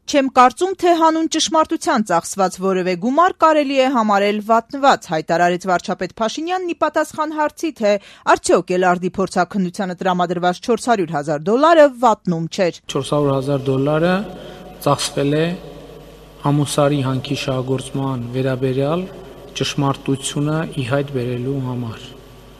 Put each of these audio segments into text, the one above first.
Չեմ կարծում, թե հանուն ճշմարտության ծախսված որևէ գումար կարելի է համարել վատնված, հայտարարեց վարչապետ Փաշինյանն ի պատասխան հարցի, թե արդյոք Էլարդի փորձաքննությանը տրամադրված $400,000 վատնում չէր։ $400,000 ծախսվել է Ամուսարի հանքի շահագործման վերաբերյալ ճշմարտությունը ի հայտ բերելու համար։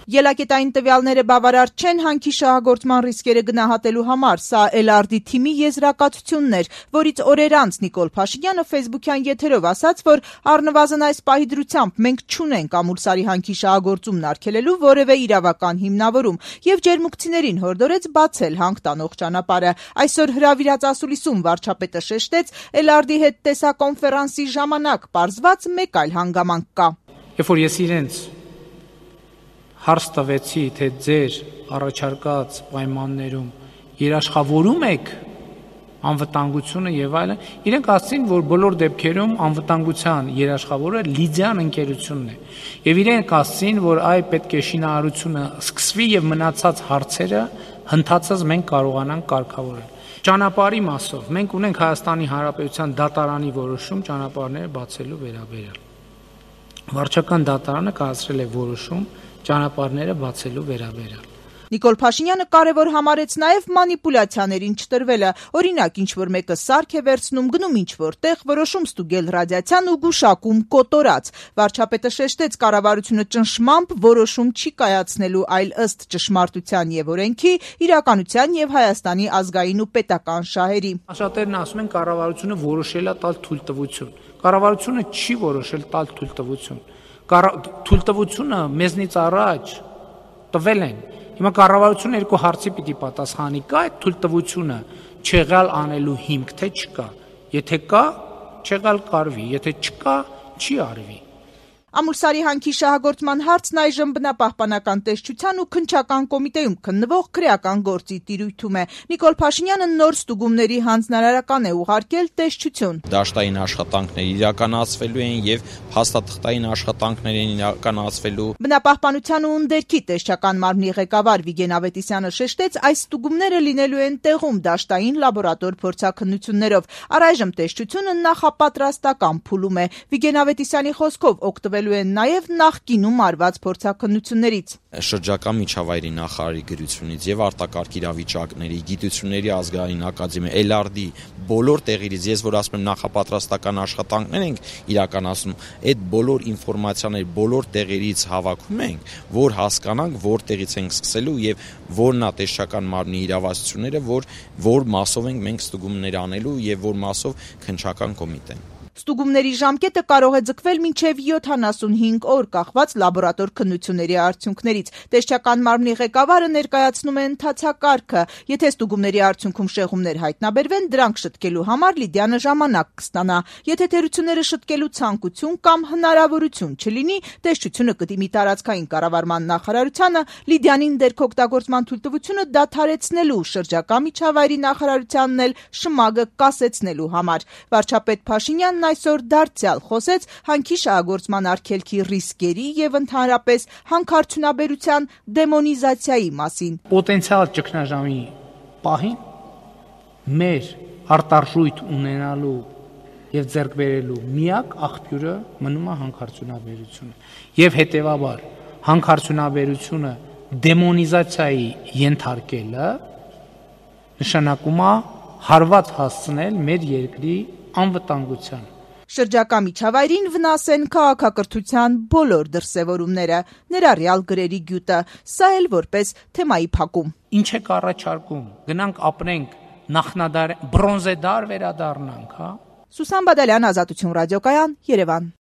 Ելակետային տվյալները բավարար չեն հանքի շահագործման ռիսկերը գնահատելու համար, սա Էլարդի թիմի եզրակացությունն էր, որից օրեր անց Նիկոլ Փաշինյանը ֆեյսբուքյան եթերով ասաց, որ առնվազն այս պահի դրությամբ մենք չունենք Ամուլսարի հանքի շահագործումն արգելելու որևէ իրավական հիմնավորում եւ ջերմուկցիներին հորդորեց բացել հանք տանող ճանապարհը։ Այսօր հրավիրած ասուլիսում վարչապետը շեշտեց Էլարդի հետ տեսակոնֆերանսի ժամանակ պարզված մեկ այլ հանգամանք կա։ Երբ որ ես իրենց հարց տվեցի, թե ձեր առաջարկած պայմաններում երաշխավորում եք անվտանգությունը եւ այլն, իրենք ասացին, որ բոլոր դեպքերում անվտանգության երաշխավորը Լիդիան ընկերությունն է։ Եվ իրենք ասացին, որ այ պետք է շինարարությունը սկսվի եւ մնացած հարցերը հնդածած մենք կարողանանք կարգավորել։ Ճանապարհի մասով մենք ունենք Հայաստանի Հանրապետության դատարանի որոշում ճանապարհները բացելու վերաբերյալ։ Վարչական դատարանը կայացրել է որոշում ճանապարհները բացելու վերաբերյալ։ Նիկոլ Փաշինյանը կարևոր համարեց նաև մանիպուլյացիաներին չտրվելը։ Օրինակ, ինչ-որ մեկը սարք է վերցնում, գնում ինչ-որ տեղ, որոշում ստուգել ռադիացիան ու գուշակում կոտորած։ Վարչապետը շեշտեց, կառավարությունը ճնշմամբ որոշում չի կայացնելու, այլ ըստ ճշմարտության եւ օրենքի, իրականության եւ Հայաստանի ազգային ու պետական շահերի։ Շատերն ասում են, կառավարությունը որոշել է տալ թույլտվություն։ Կառավարությունը չի որոշել տալ թույլտվություն։ Թույլտվությունը մեզնից առաջ տվել են։ Հիմա կառավարությունը երկու հարցի պիտի պատասխանի, կա այդ թույլտվությունը չեղյալ անելու հիմք, թե չկա։ Եթե կա, չեղյալ կարվի, եթե չկա, չի արվի։ Ամուլսարի հանքի շահագործման հարցն այժմ բնապահպանական տեսչության ու քննչական կոմիտեում քննվող քրեական գործի տիրույթում է։ Նիկոլ Փաշինյանը նոր ստուգումների հանձնարարական է ուղարկել տեսչություն։ Դաշտային աշխատանքներ իրականացվելու են եւ փաստաթղթային աշխատանքներ են իրականացվելու։ Բնապահպանության ու ընդերքի տեսչական մարմնի ղեկավար Վիգեն Ավետիսյանը շեշտեց, այս ստուգումները լինելու են տեղում դաշտային լաբորատոր փորձաքննություններով։ Առայժմ տեսչությունը նախապատրաստական փուլում է։ Վիգեն Ավետիսյանի խոսքով օգտվելու են նաև նախկինում արված փորձաքննություններից։ Շրջակա միջավայրի նախարարի գրությունից եւ արտակարգ իրավիճակների գիտությունների ազգային ակադեմիա Էլարդի բոլոր տեղերից, ես որ ասում եմ նախապատրաստական աշխատանքներ ենք իրականացնում, այդ բոլոր ինֆորմացիաները բոլոր տեղերից հավաքում ենք, որ հասկանանք որտեղից ենք սկսելու եւ որն է տեսչական մարմնի իրավասությունները, որ մասով ենք մենք ստուգումներ անելու եւ որ մասով քննչական կոմիտեն։ Ստուգումների ժամկետը կարող է ձգվել մինչև 75 օր կախված լաբորատոր քննությունների արդյունքներից։ Տեսչական մարմնի ղեկավարը ներկայացնում է ընթացակարգը։ Եթե ստուգումների արդյունքում շեղումներ հայտնաբերվեն, դրանք շտկելու համար Լիդիանը ժամանակ կստանա։ Եթե թերությունները շտկելու ցանկություն կամ հնարավորություն չլինի, տեսչությունը կդիմի տարածքային կառավարման նախարարությանը Լիդիանին դերքօգտագործման թույլտվությունը դադարեցնելու, շրջակա միջավայրի նախարարությանն էլ շմագը կասեցնելու համար։ Վարչապետ Փաշինյանն այսօր դարձյալ խոսեց հանքի շահագործման արգելքի ռիսկերի եւ ընդհանրապես հանքարդյունաբերության դեմոնիզացիայի մասին։ Պոտենցիալ ճգնաժամի պահին մեր արտարժույթ ունենալու եւ ձեռք բերելու միակ աղբյուրը մնում է հանքարդյունաբերությունը։ Եվ հետեւաբար հանքարդյունաբերությունը դեմոնիզացիայի ենթարկելը նշանակում է հարված հասցնել մեր երկրի անվտանգության։ Շրջակա միջավայրին վնաս են քաղաքակրթության բոլոր դրսևորումները, ներառյալ գրերի գյուտը, սա էլ որպես թեմայի փակում։ Ինչ եք առաջարկում, գնանք ապրենք նախնադար բրոնզե դար վերադառնանք, հա։ Սուսան Բադալյան, Ազատություն ռադիոկայան, Երևան։